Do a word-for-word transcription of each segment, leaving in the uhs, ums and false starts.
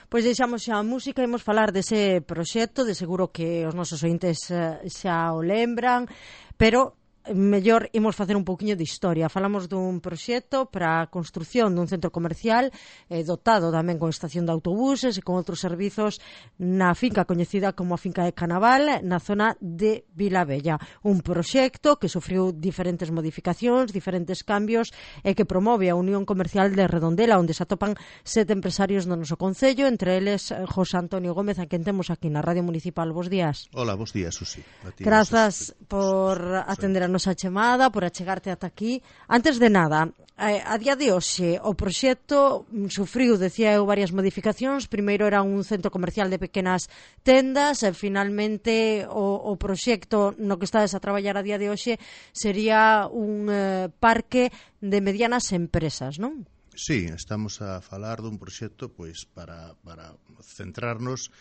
Pois deixamos xa a música e imos falar dese proxecto, de seguro que os nosos ointes uh, xa o lembran, pero mellor imos facer un pouquiño de historia. Falamos dun proxecto para a construción dun centro comercial eh, dotado tamén con estación de autobuses e con outros servizos na finca coñecida como a finca de Canaval, na zona de Vilabella. Un proxecto que sufriu diferentes modificacións, diferentes cambios e que promove a Unión Comercial de Redondela, onde se atopan sete empresarios do noso concello, entre eles José Antonio Gómez, a quen temos aquí na Radio Municipal. Bos días. Hola, bos días, Susi. Grazas por atender a nosa chamada, por achegarte ata aquí. Antes de nada, a día de hoxe o proxecto sufriu, decía eu, varias modificacións. Primeiro era un centro comercial de pequenas tendas e finalmente o, o proxecto no que estades a traballar a día de hoxe sería un eh, parque de medianas empresas, non? Sí, estamos a falar dun proxecto pois para, para centrarnos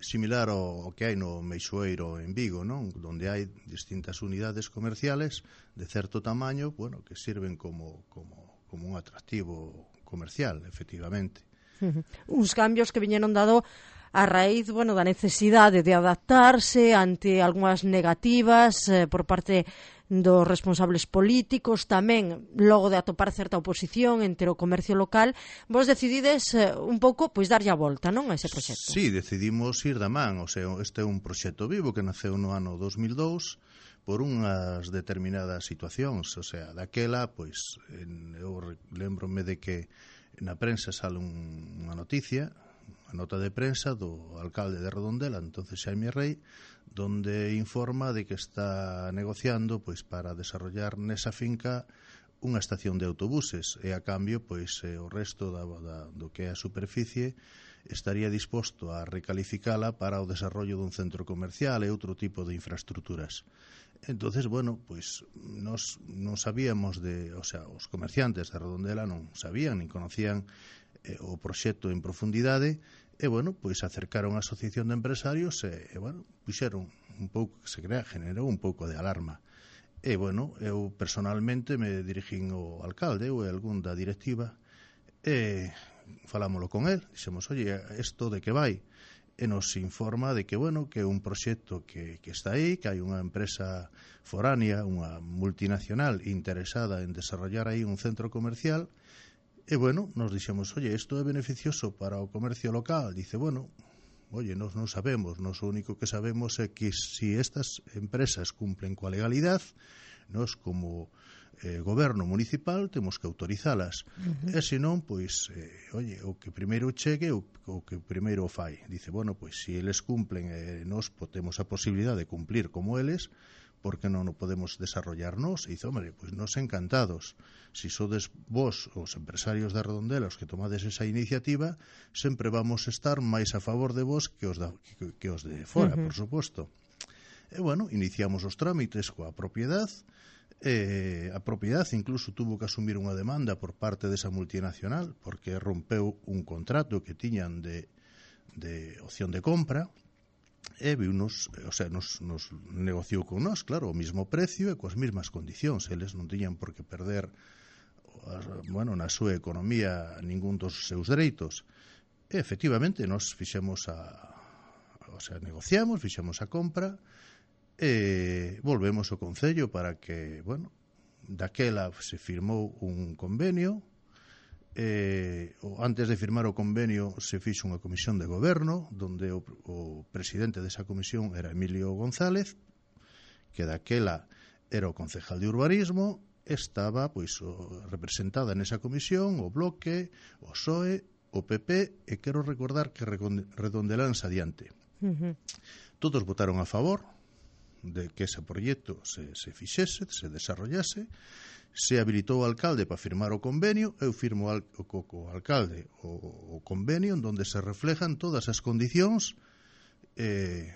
similar ao que hai no Meixoeiro en Vigo, non? Donde hai distintas unidades comerciales de certo tamaño, bueno, que sirven como, como, como un atractivo comercial, efectivamente. Uh-huh. Uns cambios que viñeron dado a raíz, bueno, da necesidade de adaptarse ante algunhas negativas eh, por parte dos responsables políticos, tamén logo de atopar certa oposición entre o comercio local. Vos decidides eh, un pouco pois darlle a volta, non, a ese proxecto? Sí, decidimos ir da man, o sea, este é un proxecto vivo que naceu no ano dos mil dous por unhas determinadas situacións, o sea, daquela, pois, en, eu lembrome de que na prensa sale un, unha noticia, a nota de prensa do alcalde de Redondela, entonces Xaime Rei, donde informa de que está negociando pois para desarrollar nesa finca unha estación de autobuses e a cambio pois eh, o resto da, da, do que é a superficie estaría disposto a recalificala para o desarrollo dun centro comercial e outro tipo de infraestructuras. Entonces, bueno, pois nos non sabíamos de, o sea, os comerciantes de Redondela non sabían nin conocían eh, o proxecto en profundidade. E, bueno, pois acercaron a asociación de empresarios e, e bueno, puxeron un pouco, que se crea, generou un pouco de alarma. E, bueno, eu personalmente me dirixín ao alcalde ou a algún da directiva e falámoslo con él, dixemos, oye, isto de que vai? E nos informa de que, bueno, que é un proxecto que, que está aí, que hai unha empresa foránea, unha multinacional interesada en desarrollar aí un centro comercial. E, bueno, nos dixemos, oye, isto é beneficioso para o comercio local. Dice, bueno, oye, nos non sabemos, nos o único que sabemos é que se estas empresas cumplen coa legalidade, nos como eh, goberno municipal temos que autorizalas. Uh-huh. E se non, pois, eh, oye, o que primeiro chegue, o, o que primeiro fai. Dice, bueno, pois, se eles cumplen, eh, nos temos a posibilidade de cumplir como eles, porque non o podemos desarrollarnos? E dice, hombre, pois nos encantados. Si sodes vos, os empresarios de Redondela, os que tomades esa iniciativa, sempre vamos estar máis a favor de vos que os, da, que, que os de fora, uh-huh. por suposto. E, bueno, iniciamos os trámites coa propiedade. E a propiedade incluso tuvo que asumir unha demanda por parte desa multinacional, porque rompeu un contrato que tiñan de, de opción de compra. E viunos, o sea, nos, nos negociou con nós, claro, o mismo precio e coas mesmas condicións. Eles non tiñan por que perder, bueno, na súa economía ningún dos seus dereitos. E, efectivamente, nos fixemos a, o sea, negociamos, fixemos a compra e volvemos ao Concello para que, bueno, daquela se firmou un convenio. Eh, antes de firmar o convenio se fixo unha comisión de goberno donde o, o presidente desa comisión era Emilio González, que daquela era o concejal de urbanismo. Estaba pois o, representada nesa comisión o Bloque, o P S O E, o P P e quero recordar que Redondelanse adiante. Uh-huh. Todos votaron a favor de que ese proxecto se, se fixese, se desarrollase. Se habilitou o alcalde para firmar o convenio, eu firmo al, o, o alcalde o, o convenio en donde se reflejan todas as condicións eh,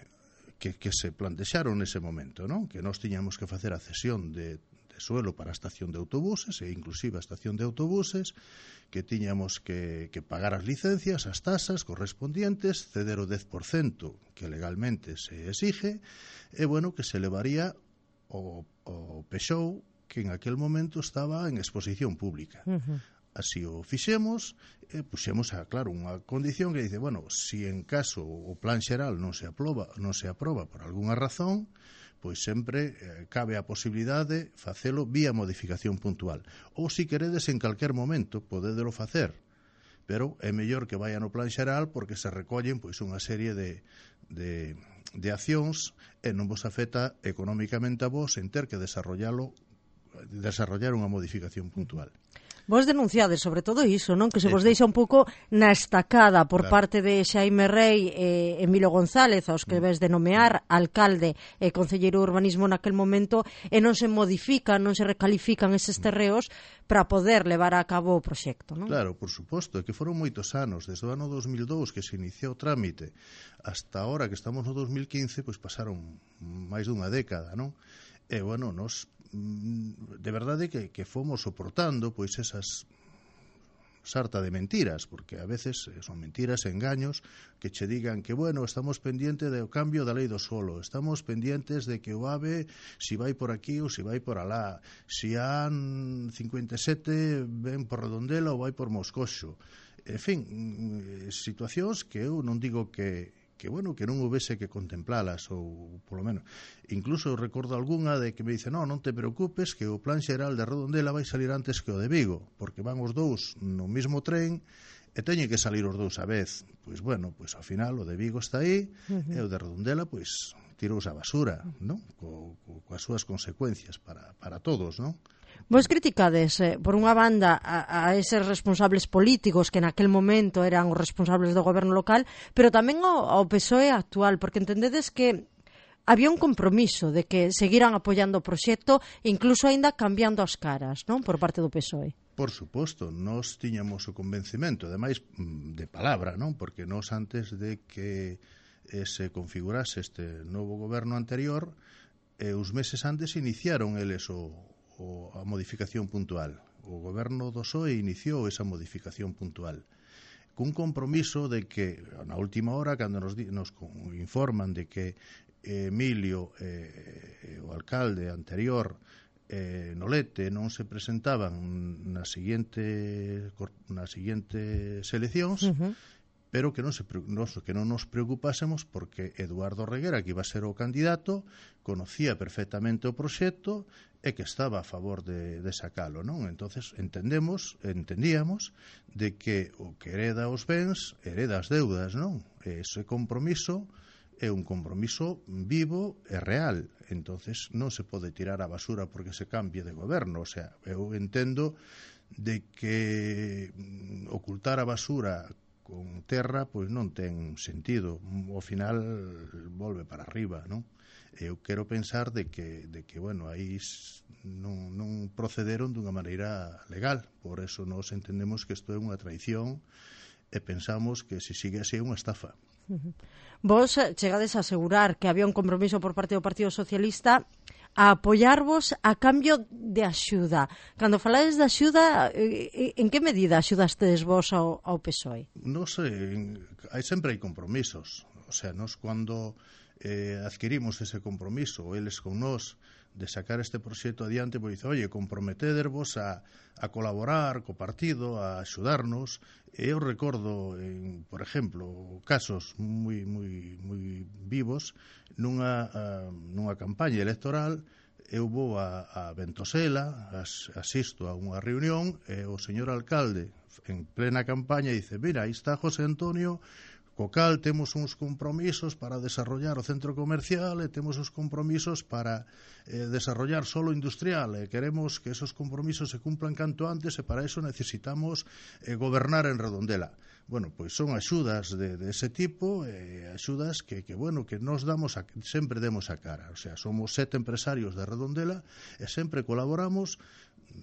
que, que se plantexaron nese momento, non? Que nós tiñamos que facer a cesión de, de suelo para a estación de autobuses e inclusive a estación de autobuses, que tiñamos que, que pagar as licencias, as tasas correspondientes, ceder o dez por cento que legalmente se exige, e, bueno, que se levaría o, o P S O E que en aquel momento estaba en exposición pública. Uh-huh. así o fixemos, e puxemos a, claro, unha condición que dice, bueno, si en caso o plan xeral non se aproba, non se aproba por algunha razón, pois sempre eh, cabe a posibilidade de facelo vía modificación puntual. Ou se queredes en calquer momento, podédelo facer, pero é mellor que vaya no plan xeral porque se recollen pois unha serie de, de, de accións e non vos afecta económicamente a vos en ter que desarrollalo, desarrollar unha modificación puntual. Vos denunciades sobre todo iso, non? Que se vos deixa un pouco na estacada por claro. parte de Xaime Rei e Emilio González, aos que ves de nomear alcalde e concelleiro de urbanismo naquel momento, e non se modifican, non se recalifican eses terreos para poder levar a cabo o proxecto, non? Claro, por suposto, que foron moitos anos, desde o ano dos mil dous que se iniciou o trámite hasta ahora que estamos no dos mil quince, pois pasaron máis dunha década, non? E, bueno, nos de verdade que, que fomos soportando pois esas sarta de mentiras, porque a veces son mentiras, engaños, que che digan que, bueno, estamos pendientes do cambio da lei do solo, estamos pendientes de que o AVE si vai por aquí ou si vai por alá, si han cincuenta e sete ven por Redondela ou vai por Moscoso. En fin, situacións que eu non digo que que, bueno, que non houvese que contemplalas, ou, polo menos, incluso recordo algunha de que me dice, no, non te preocupes, que o plan xeral de Redondela vai salir antes que o de Vigo, porque van os dous no mesmo tren, e teñen que salir os dous a vez. Pois, bueno, pois ao final o de Vigo está aí, uh-huh. e o de Redondela, pois, tirouse a basura, non? Co, co, coas súas consecuencias para, para todos, non? Vos criticades, eh, por unha banda, a, a eses responsables políticos que naquel momento eran os responsables do goberno local, pero tamén ao, ao P S O E actual, porque entendedes que había un compromiso de que seguiran apoiando o proxecto, incluso aínda cambiando as caras, non? Por parte do P S O E. Por suposto, nós tiñamos o convencimento, ademais de palabra, non? Porque nós antes de que eh, se configurase este novo goberno anterior, eh, os meses antes iniciaron eles o o a modificación puntual. O goberno do P S O E iniciou esa modificación puntual cun compromiso de que na última hora, cando nos, nos informan de que Emilio, eh, o alcalde anterior, eh, Nolete, non se presentaban nas seguinte, nas seguintes eleccións, uh-huh. pero que non, se, nos, que non nos preocupásemos porque Eduardo Reguera, que iba a ser o candidato, conocía perfectamente o proxecto e que estaba a favor de, de sacalo, non? Entonces entendemos, entendíamos de que o que hereda os bens hereda as deudas, non? E ese compromiso é un compromiso vivo e real. Entonces non se pode tirar a basura porque se cambie de goberno. O sea, eu entendo de que ocultar a basura con terra pois non ten sentido. Ao final volve para arriba, non? Eu quero pensar de que, de que bueno, aí non, non procederon dunha maneira legal. Por eso nós entendemos que isto é unha traición e pensamos que se sigue así é unha estafa. Uh-huh. Vos chegades a asegurar que había un compromiso por parte do Partido Socialista a apoiarvos a cambio de axuda. Cando falades de axuda, en que medida axudastedes vos ao, ao P S O E? Non sei, hai, sempre hai compromisos. O sea, nos cando eh, adquirimos ese compromiso, eles con nós, de sacar este proxecto adiante, pois dice, oye, comprometedervos a, a colaborar co partido, a axudarnos. E eu recordo, en, por exemplo, casos moi, moi, moi vivos, nunha, uh, nunha campaña electoral, eu vou a, a Ventosela, as, asisto a unha reunión, e o señor alcalde, en plena campaña, dice, mira, aí está José Antonio, co cal temos uns compromisos para desarrollar o centro comercial e temos os compromisos para eh, desarrollar solo industrial e queremos que esos compromisos se cumplan canto antes e para eso necesitamos eh, gobernar en Redondela. Bueno, pois son axudas de, de ese tipo, eh, axudas que, que, bueno, que nos damos a, sempre demos a cara. O sea, somos sete empresarios de Redondela e sempre colaboramos,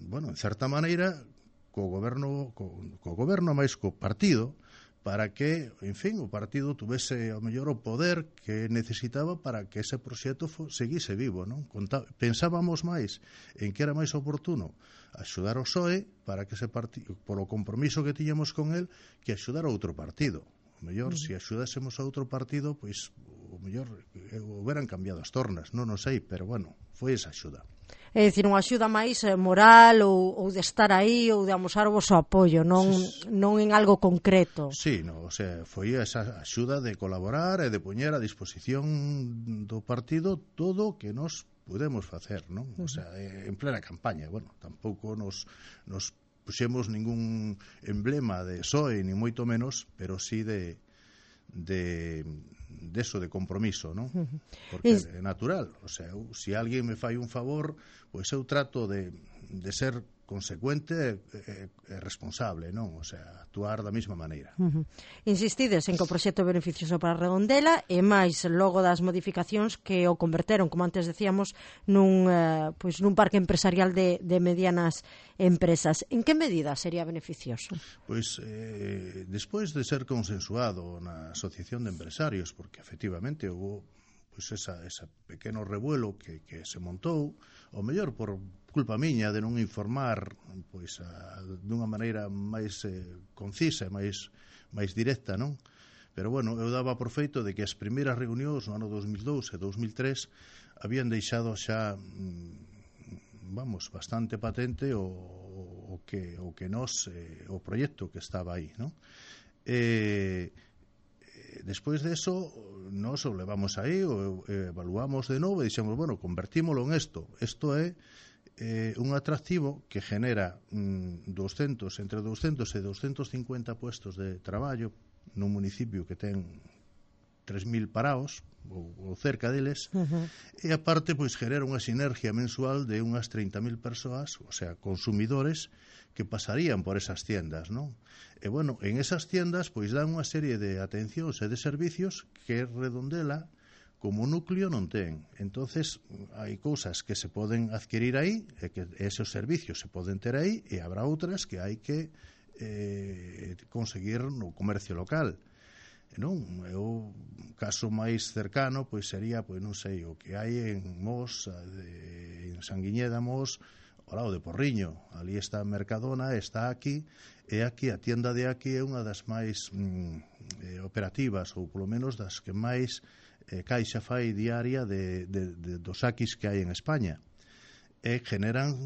bueno, en certa maneira, co goberno, co, co goberno máis co partido, para que, en fin, o partido tuvese ao mellor o poder que necesitaba para que ese proxecto seguise vivo, non? Conta, pensábamos máis en que era máis oportuno axudar o P S O E para que ese partido, por o compromiso que tiñamos con el, que axudar a outro partido. O mellor, uh-huh. se axudásemos a outro partido, pois o mellor houberan cambiado as tornas, non o sei, pero bueno, foi esa axuda. É dicir, unha axuda máis moral ou, ou de estar aí ou de amosar o voso apoio, non, non en algo concreto. Sí, no, o sea, foi esa axuda de colaborar e de poñer a disposición do partido todo o que nos podemos facer, non? O sea, en plena campaña, bueno, tampouco nos, nos puxemos ningún emblema de P S O E, ni moito menos, pero sí de de, de eso, de compromiso, ¿no? Porque é natural, o sea, eu, se alguén me fai un favor, pois eu trato de, de ser consecuente e, e responsable, non? O sea, actuar da mesma maneira. Uh -huh. Insistides en que o proxecto é beneficioso para Redondela e máis logo das modificacións que o converteron, como antes decíamos, nun, eh, pois nun parque empresarial de, de medianas empresas. En que medida sería beneficioso? Pois, eh, despois de ser consensuado na Asociación de Empresarios, porque efectivamente houve pois esa, esa pequeno revuelo que, que se montou, o mellor por culpa miña de non informar pois a, dunha maneira máis eh, concisa, máis máis directa, non? Pero bueno, eu daba por feito de que as primeiras reunións no ano dos mil dous e dos mil tres habían deixado xa vamos, bastante patente o, o que o que nos eh, o proxecto que estaba aí, non? Eh Despois de eso, nos o levamos aí, o evaluamos de novo e dixemos, bueno, convertímolo en isto. Isto é eh, un atractivo que genera mm, doscientos, entre doscientos e doscientos cincuenta puestos de traballo nun municipio que ten tres mil paraos, ou, ou cerca deles, uh -huh. E aparte, pois, genera unha sinergia mensual de unhas treinta mil persoas, o sea, consumidores, que pasarían por esas tiendas, non? E, bueno, en esas tiendas, pois, dan unha serie de atencións e de servicios que Redondela, como núcleo, non ten. Entonces, hai cousas que se poden adquirir aí, e que esos servicios se poden ter aí, e habrá outras que hai que eh, conseguir no comercio local. Non, o caso máis cercano pois sería, pois non sei, o que hai en Mos, de, en Sanguiñeda, Mos, ao lado de Porriño. Ali está a Mercadona, está aquí, e aquí a tienda de aquí é unha das máis mm, eh, operativas, ou polo menos das que máis eh, caixa fai diaria de, de, de, dos aquis que hai en España. E generan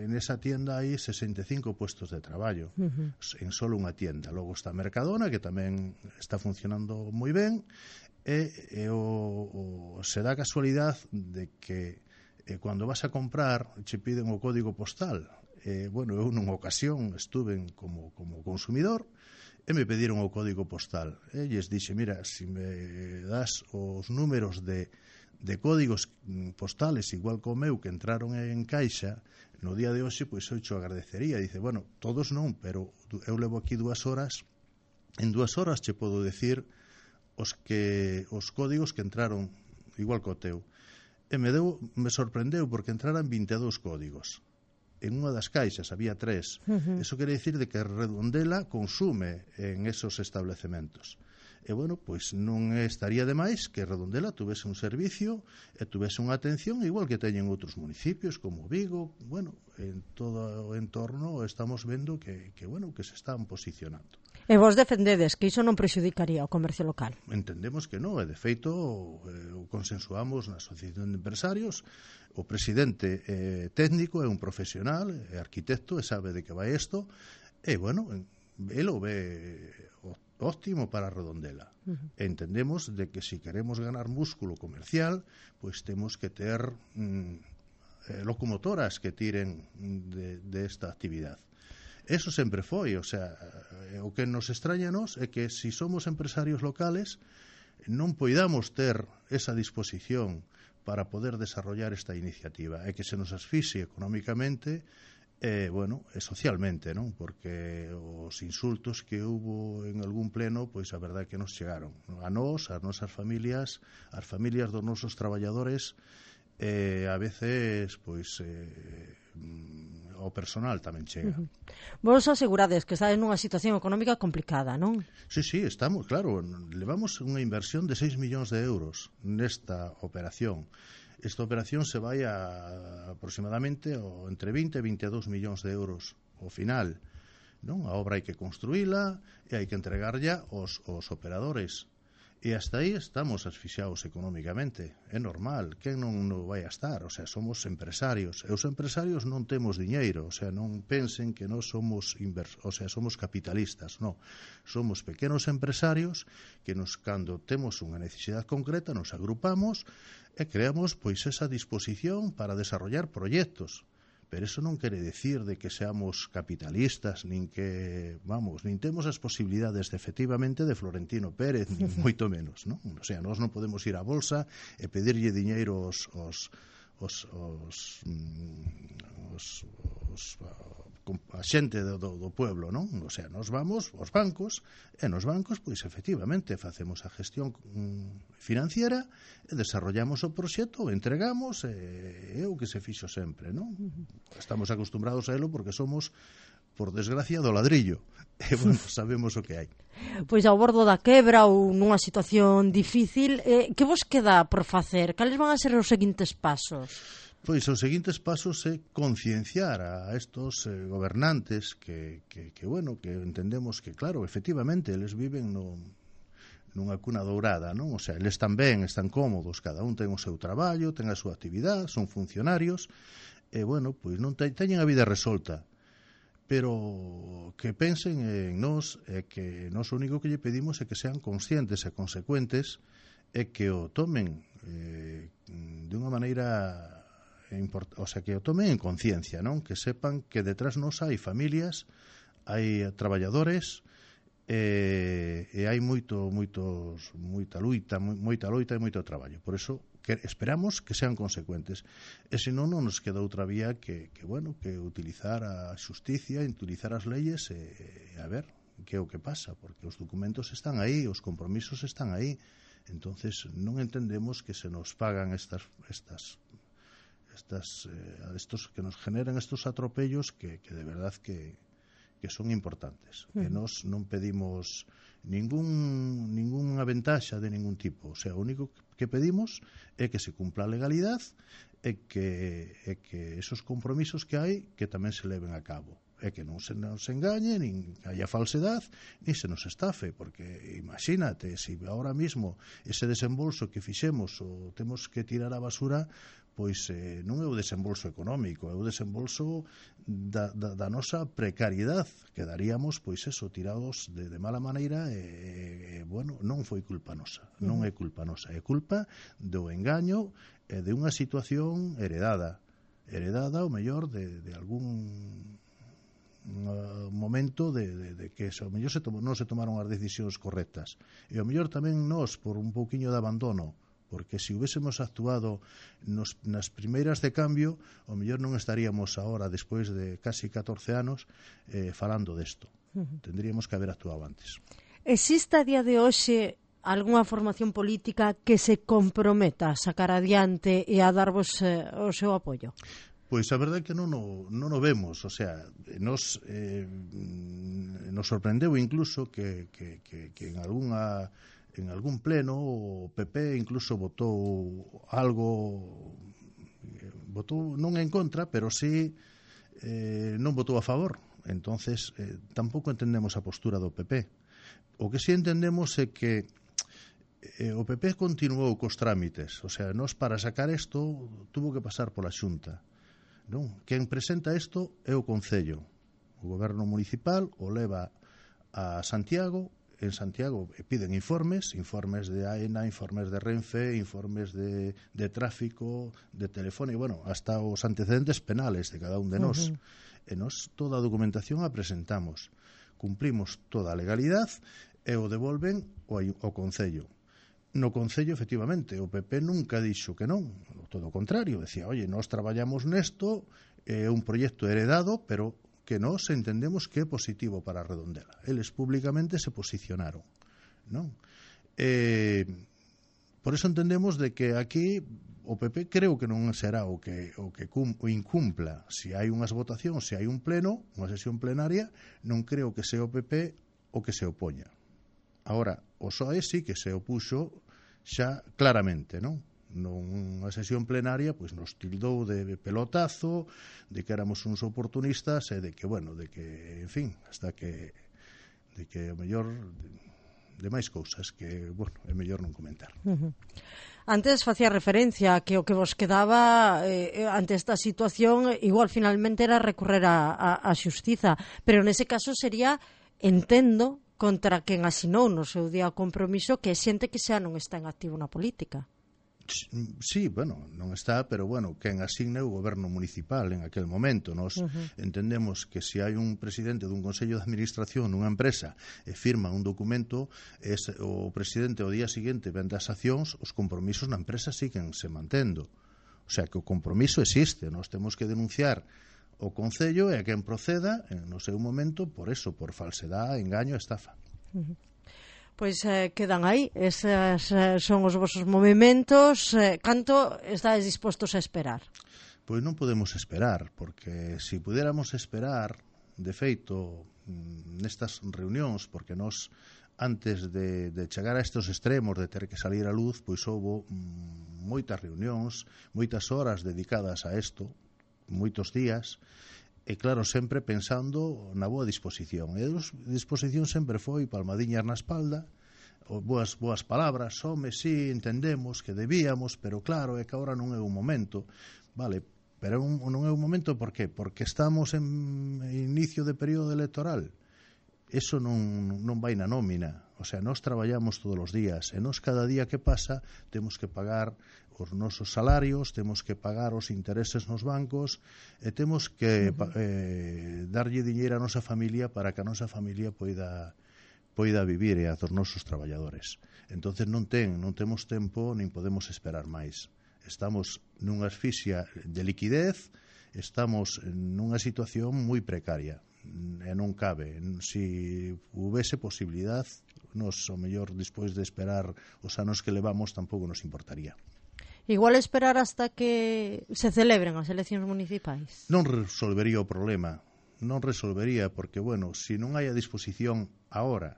en esa tienda aí sesenta e cinco puestos de traballo, uh -huh. en solo unha tienda. Logo está Mercadona, que tamén está funcionando moi ben, e, e o, o, se dá casualidad de que eh, cando vas a comprar che piden o código postal. Eh, bueno, eu nunha ocasión estuve como, como consumidor e me pediron o código postal. E lles dixe, mira, se si me das os números de de códigos postales igual como eu que entraron en caixa no día de hoxe, pois eu xo agradecería. Dice, bueno, todos non, pero eu levo aquí dúas horas, en dúas horas che podo decir os que os códigos que entraron igual co teu. E me deu, me sorprendeu porque entraran vinte e dous códigos. En unha das caixas había tres. Uh -huh. Eso quere dicir de que Redondela consume en esos establecementos. E, bueno, pois non estaría de máis que Redondela tuvese un servicio e tuvese unha atención igual que teñen outros municipios como Vigo. Bueno, en todo o entorno estamos vendo que, que, bueno, que se están posicionando. E vos defendedes que iso non prexudicaría o comercio local? Entendemos que non, e de feito o consensuamos na Asociación de Empresarios. O presidente eh, técnico é un profesional, é arquitecto, e sabe de que vai isto, e, bueno, el o ve óptimo para Redondela. Uh -huh. Entendemos de que si queremos ganar músculo comercial, pois temos que ter mm, eh, locomotoras que tiren de, de esta actividad. Eso sempre foi, o sea, o que nos extraña nos é que si somos empresarios locales non poidamos ter esa disposición para poder desarrollar esta iniciativa e que se nos asfixie económicamente e, bueno, e socialmente, non? Porque os insultos que hubo en algún pleno, pois a verdade que nos chegaron a nós, as nosas familias, as familias dos nosos traballadores, e a veces, pois eh, o personal tamén chega. Uh -huh. Vos asegurades que estades nunha situación económica complicada, non? Sí, sí, estamos, claro, levamos unha inversión de seis millóns de euros nesta operación. Esta operación se vai a aproximadamente o, entre vinte e vinte e dous millóns de euros ao final, non? A obra hai que construíla e hai que entregarlla aos, aos operadores. E hasta aí estamos asfixiados económicamente. É normal, quen non, non vai a estar? O sea, somos empresarios. E os empresarios non temos diñeiro, o sea, non pensen que nós somos invers... o sea, somos capitalistas, non. Somos pequenos empresarios que nos, cando temos unha necesidade concreta, nos agrupamos e creamos pois esa disposición para desarrollar proxectos. Pero eso non quere decir de que seamos capitalistas, nin que, vamos, nin temos as posibilidades de, efectivamente, de Florentino Pérez, nin moito menos, non? O sea, nós non podemos ir á bolsa e pedirlle diñeiro aos os, os, os, os, os, a xente do, do, do pueblo, non? O sea, nós vamos aos bancos e nos bancos, pois, efectivamente, facemos a gestión financiera e desarrollamos o proxecto, o entregamos e é o que se fixo sempre, non? Estamos acostumbrados a elo porque somos, por desgracia, do ladrillo e, bueno, sabemos o que hai. Pois ao bordo da quebra ou nunha situación difícil, eh, que vos queda por facer? Cales van a ser os seguintes pasos? Pois os seguintes pasos é concienciar a estos eh, gobernantes que, que, que, bueno, que entendemos que, claro, efectivamente, eles viven no, nunha cuna dourada, non? O sea, eles están ben, están cómodos, cada un ten o seu traballo, ten a súa actividade, son funcionarios, e, bueno, pois non te, teñen a vida resolta, pero que pensen en nós, e que nós o único que lle pedimos é que sean conscientes e consecuentes e que o tomen eh, de unha maneira... o sea, que o tomen en conciencia, non? Que sepan que detrás nos hai familias, hai traballadores e, e hai moito, moitos, moita luita, moita loita e moito traballo. Por eso que esperamos que sean consecuentes. E senón non nos queda outra vía que, que bueno, que utilizar a xusticia, utilizar as leyes e, e a ver que é o que pasa, porque os documentos están aí, os compromisos están aí. Entonces non entendemos que se nos pagan estas estas Estas, eh, estos que nos generan estos atropellos que, que de verdad que, que son importantes. Mm. E nos non pedimos ningún ninguna ventaxa de ningún tipo. O sea, o único que pedimos é que se cumpla a legalidade e que, e que esos compromisos que hai que tamén se leven a cabo. É que non se nos engañe, nin haya falsedade, nin se nos estafe, porque imagínate, se si ahora mismo ese desembolso que fixemos o temos que tirar a basura, pois eh, non é o desembolso económico, é o desembolso da, da, da nosa precariedade. Quedaríamos, pois eso, tirados de, de mala maneira e, e, bueno, non foi culpa nosa, non é culpa nosa, é culpa do engaño e de unha situación heredada, heredada, o mellor, de, de algún uh, momento de, de, de que o mellor se tom, non se tomaron as decisións correctas. E o mellor tamén nós, por un pouquiño de abandono, porque se hubiésemos actuado nos, nas primeiras de cambio, o mellor non estaríamos agora, despois de casi catorce anos, eh, falando desto. Uh -huh. Tendríamos que haber actuado antes. Existe a día de hoxe algunha formación política que se comprometa a sacar adiante e a darvos eh, o seu apoio? Pois a verdade é que non o, non o vemos, o sea, nos, eh, nos sorprendeu incluso que, que, que, que en algunha en algún pleno o P P incluso votou algo, votou non en contra, pero sí eh, non votou a favor. Entonces eh, tampouco entendemos a postura do P P. O que sí entendemos é que eh, o P P continuou cos trámites, o sea, nos para sacar isto tuvo que pasar pola Xunta, non? Quen presenta isto é o Concello, o goberno municipal o leva a Santiago. En Santiago piden informes, informes de AENA, informes de Renfe, informes de, de tráfico, de telefónica, bueno, hasta os antecedentes penales de cada un de nós. Uh -huh. E nós toda a documentación a presentamos. Cumplimos toda a legalidade e o devolven ao, ao Concello. No Concello, efectivamente, o P P nunca dixo que non, todo o contrario, decía, oye, nós traballamos nesto, é un proxecto heredado, pero que nós entendemos que é positivo para Redondela. Eles públicamente se posicionaron, non? Eh, por eso entendemos de que aquí o P P creo que non será o que o que cum, o incumpla. Se hai unhas votacións, se hai un pleno, unha sesión plenaria, non creo que sea o P P o que se opoña. Agora, o P S O E sí que se opuxo xa claramente, non? Nunha sesión plenaria pois nos tildou de pelotazo, de que éramos uns oportunistas e de que, bueno, de que, en fin, hasta que de que o mellor de máis cousas que, bueno, é mellor non comentar. Uh-huh. Antes facía referencia a que o que vos quedaba eh, ante esta situación igual finalmente era recorrer a, a, a xustiza, pero nese caso sería, entendo, contra quen asinou no seu día o compromiso, que é xente que xa non está en activo na política. Sí, bueno, non está, pero bueno, quen asigna o goberno municipal en aquel momento. Nos uh-huh. entendemos que se hai un presidente dun consello de administración nunha empresa e firma un documento, es, o presidente o día seguinte vende as accións, os compromisos na empresa siguen se mantendo. O sea, que o compromiso existe, nós temos que denunciar o Concello e a quen proceda no seu momento por eso, por falsedade, engaño e estafa. Uh-huh. Pois eh, quedan aí, eses eh, son os vosos movimentos. Eh, canto estáis dispostos a esperar? Pois non podemos esperar, porque se si pudiéramos esperar, de feito, nestas reunións, porque nós, antes de, de chegar a estes extremos de ter que salir a luz, pois houve mm, moitas reunións, moitas horas dedicadas a isto, moitos días, e claro, sempre pensando na boa disposición. E a disposición sempre foi palmadiñas na espalda, boas, boas palabras, home, sí, entendemos que debíamos, pero claro, é que agora non é un momento. Vale, pero un, non é un momento, por qué? Porque estamos en inicio de período electoral. Eso non, non vai na nómina. O sea, nós traballamos todos os días, e nós cada día que pasa temos que pagar os nosos salarios, temos que pagar os intereses nos bancos e temos que uh-huh. eh, darlle diñeiro a nosa familia para que a nosa familia poida poida vivir e a dos nosos traballadores. Entonces non ten, non temos tempo nin podemos esperar máis. Estamos nunha asfixia de liquidez, estamos nunha situación moi precaria e non cabe. Se houvese posibilidad, nos, o mellor, despois de esperar os anos que levamos, tampouco nos importaría. Igual esperar hasta que se celebren as eleccións municipais? Non resolvería o problema, non resolvería, porque, bueno, se non hai a disposición agora,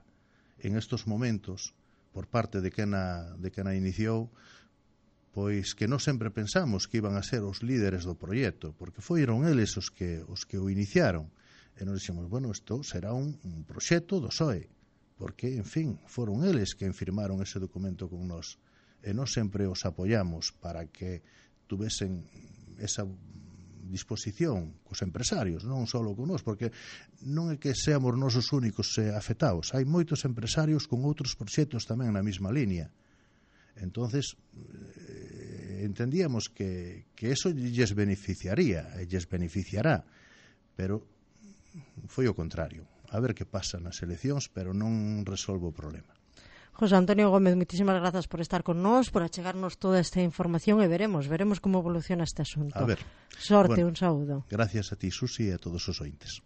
en estos momentos, por parte de quen a, de quen a iniciou, pois que non sempre pensamos que iban a ser os líderes do proxecto, porque foron eles os que, os que o iniciaron, e nos dixemos, bueno, isto será un, un proxecto do P S O E, porque, en fin, foron eles que firmaron ese documento con nós, e nós sempre os apoiamos para que tuvesen esa disposición cos empresarios, non só con nós, porque non é que seamos nós os únicos afectados, hai moitos empresarios con outros proxectos tamén na mesma línea. Entonces eh, entendíamos que, que eso lles beneficiaría e lles beneficiará, pero foi o contrario. A ver que pasa nas eleccións, pero non resolve o problema. José Antonio Gómez, moitísimas grazas por estar con nós, por achegarnos toda esta información e veremos, veremos como evoluciona este asunto. A ver. Sorte, bueno, un saúdo. Gracias a ti, Susi, e a todos os ointes.